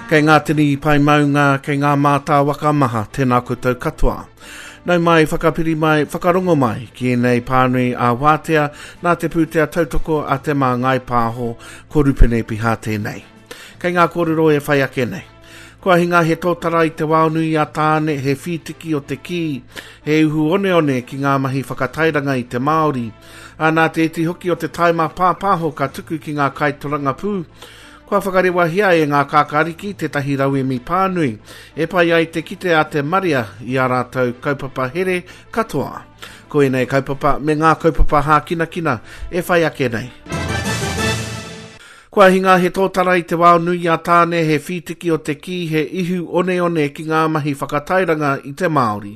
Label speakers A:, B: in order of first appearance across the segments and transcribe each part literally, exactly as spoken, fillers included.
A: Kei ngā tini pae maunga, kei ngā mātāwaka maha, tēnā koutou katoa. Nau mai, whakapiri mai, whakarongo mai ki ēnei pānui a Wātea nā te pūtea tautoko a Te Māngai Pāho, ko Rupene Piha tēnei. Kei ngā kōrero e whai ake nei. Kua hinga he tōtara i te wao nui a Tāne, he whītiki o te kī, he uhu oneone ki ngā mahi whakatairanga i te Māori. Ā, nā te iti hoki o te taima pāpāho ka tuku ki ngā kaitorangapū, kua whakarewahia e ngā kākāriki tētahi rauemi pānui, e pai ai te kite a te marea i ā rātou kaupapa here katoa. Ko ēnei kaupapa me ngā kaupapa hākinakina e whai ake nei. Kua hinga he tōtara i te wao nui a Tāne, he whītiki o te kī, he ihu oneone ki ngā mahi whakatairanga i te Māori.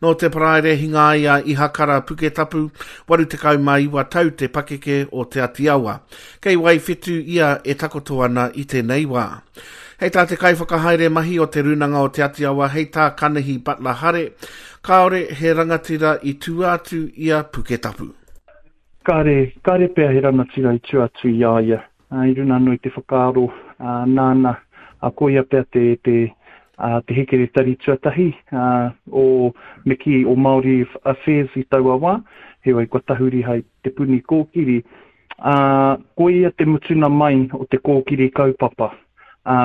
A: Nō te Paraire hinga ai a Ihakara Puketapu, waru tekau mā iwa tau te pakeke o Te Ati Awa. Kei Waiwhetu ia e takoto ana i tēnei wā. Hei tā te kaiwhakahaere mahi o Te Rūnanga o Te Ati Awa, hei tā Kanihi Butler Hare, kāore he rangatira i tua atu i a Puketapu.
B: Kāre, kāre pea he rangatira i tua atu i a ia. I runa anō i te whakaaro, nāna, ko ia pea te, te, te hekeretari tuatahi o me kī, o Māori Affairs i taua wā, heoi kua tahuri hai Te Puni Kōkiri. Ko ia te mutuna mai o te kōkiri kaupapa.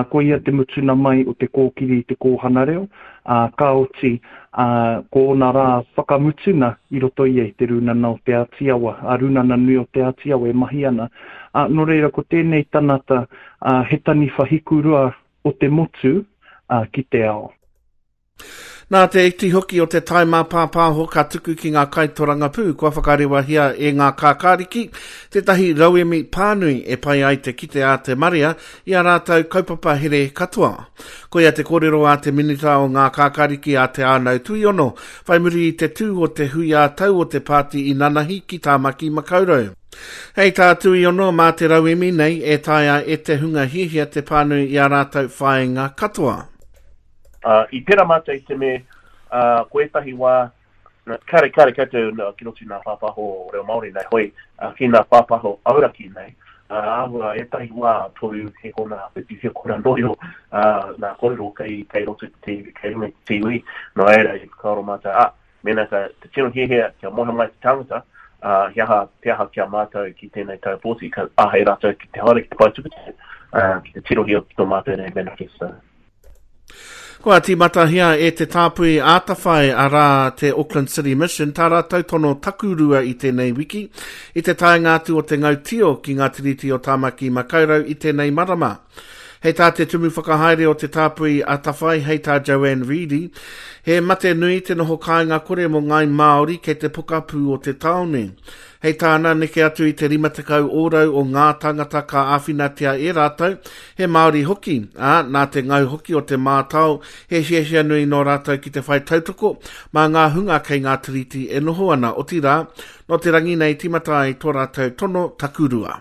B: Ko ia te mutuna mai o te kōkiri i te kōhanga reo, ka oti, ko ōna rā whakamutuna i roto ia i te Rūnana o Te Āti Awa, a Rūnana Nui o Te Āti Awa e mahi ana. Nō reira, ko tēnei tangata, he taniwha hikurua o te motu ki te ao.
A: Nā te iti hoki o te taima pāpāho ka tuku ki ngā kaitorangapū kua whakarewahia e ngā kākāriki tētahi rauemi pānui e pai ai te kite a te marea i a rātou kaupapa here katoa. Koia te kōrero a te minita o ngā kākāriki a Te Ānau Tuiono, whai muri i te tū o te hui ā-tau o te pāti i nanahi ki Tāmaki Makaurau. Hei tā Tuiono, mā te rauemi nei e taea e te hunga hiahia te pānui i a rātou whāinga katoa.
C: Uh, i pera mātou i te me, uh, ko ētahi wā, kare, kare koutou uh, ki roto i ngā pāpāho reo Māori nei, hoi, uh, ki ngā pāpāho auraki nei, uh, āhua ētahi wā toru he kona, whitu he kona noio, uh, nā kōrero kei, kei roto i te, kei runga i te T V, nō reira i whakaaro mātou, ah, mēnā ka te tino hiahia kia moe mai te tangata, uh, he aha, te aha kia mātou ki tēnei tau pōti, ka āhei rātou ki te haere ki te pae tukutuku, uh, ki te tirohia ki tō mātou nei manifesto.
A: Kua tīmatahia e te tāpui ātawhai arā te Auckland City Mission tā rātou tono takurua i tēnei wiki, i te taenga atu o te ngautio ki ngā tiriti o Tāmaki Makaurau i tēnei marama. Hei tā te tumu whakahaere o te tāpui ātawhai, hei tā Joanne Reedy, he mate nui te noho kāinga kore mō ngāi Māori kei te pokapū o te tāone. Hei tāna neke atu i te rima tekau ōrau o ngā tāngata ka āwhinatia e rātou, he Māori hoki, ā, nā te ngau hoki o te mātao, he hiahia nui nō rātou ki te whai tautoko, mā ngā hunga kei ngā tiriti e noho ana, otirā, nō te rangi nei tīmata ai tō rātou tono takurua.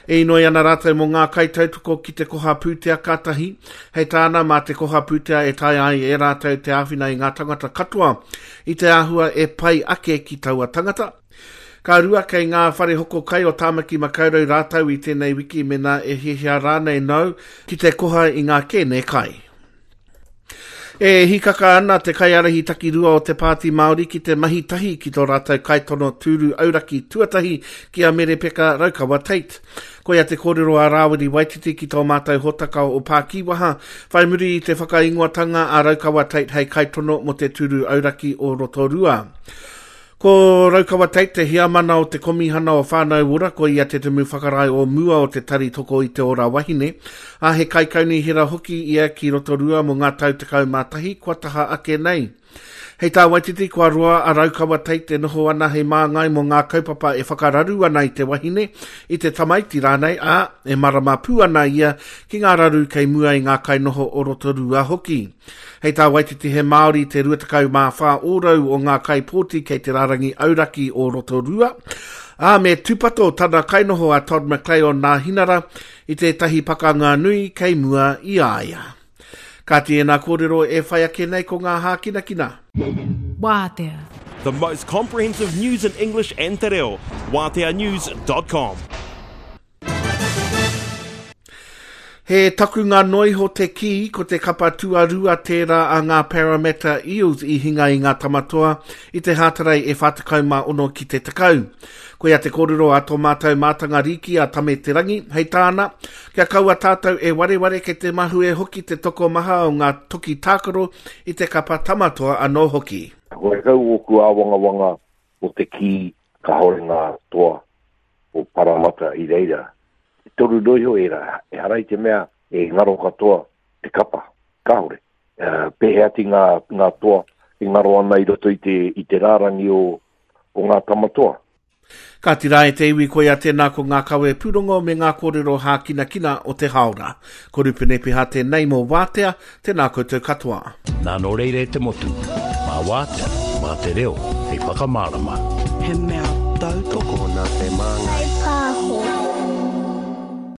A: E inoi ana rātou mō ngā kaitautoko ki te koha pūtea kātahi, hei tāna mā te koha pūtea e taea ai e rātou te āwhina i ngā tangata katoa i te āhua e pai ake ki taua tangata. Ka rua kei ngā whare hoko kai o Tāmaki Makaurau rātou i tēnei wiki mena e hiahia rānei nau ki te koha i ngā kēne kai. E hikaka ana te kaiārahi takirua o te Pāti Māori ki te mahi tahi ki tō rātou kaitono tūru auraki tuatahi ki a Merepeka Raukawa Tate. Koia te kōrero a Rāwiri Waititi ki tō mātou hōtaka o Pākīwaha, whai muri i te whakaingoatanga a Raukawa Tate hei kaitono mō te tūru auraki o Rotorua. Ko Raukawa Tate te hiamana o te komihana o Whānau Ora, ko ia te tumu whakarae o mua o te tari toko i te ora wahine, a he kaikaunihera hoki ia ki Rotorua mō ngā tau tekau mā tahi kua taha ake nei. Hei tā Waititi, kua roa a Raukawa Tate e noho ana hei māngai mō ngā kaupapa e whakararu ana i te wahine, i te tamaiti rānei, ā, e marama pū ana ia ki ngā raru kei mua i ngā kainoho o Rotorua hoki. Hei tā Waititi he Māori te rua tekau mā whā ōrau o ngā kaipōti kei te rārangi auraki o Rotorua, ā, me tūpato tana kainoho a Todd McClay o Nāhinara i tētahi pakanga nui kei mua i a ia. Ka tēnā kōrero e whai ake nei ko ngā hākinakina.
D: Wātea.
E: The most comprehensive news in English and te reo. Wātea news dot com.
A: He takunga noiho te kī, ko te kapa tuarua tērā a ngā Parramatta Eels i hinga i ngā tamatoa i te hātarei e whā tekau mā ono ki te tekau. Koia te kōrero a tō mātou mātanga rīki a Tame Te Rangi, hei tāna, kia kaua tātou e wareware kei te mahue hoki te tokomaha o ngā toki tākaro i te kapa tamatoa anō hoki.
F: Horekau ōku āwangawanga o te kī kāore ngā toa o Parramatta i reira. E toru noiho ērā, ehara i te mea e ngaro katoa te kapa, kāore. Uh, pēhea ati ngā, ngā toa e ngaro ana i roto i te, i te rārangi o, o ngā tamatoa.
A: Ka tira e te iwi koia tēnā ko ngā kawe pūrongo me ngā kōrero hākinakina o te haora. Ko Rupene Piha tēnei mō Wātea, tēnā koutou katoa.
G: Nā nō reira e te motu, mā Wātea, mā te reo, hei whakamārama.
H: He mea tautoko
I: nā te māngai.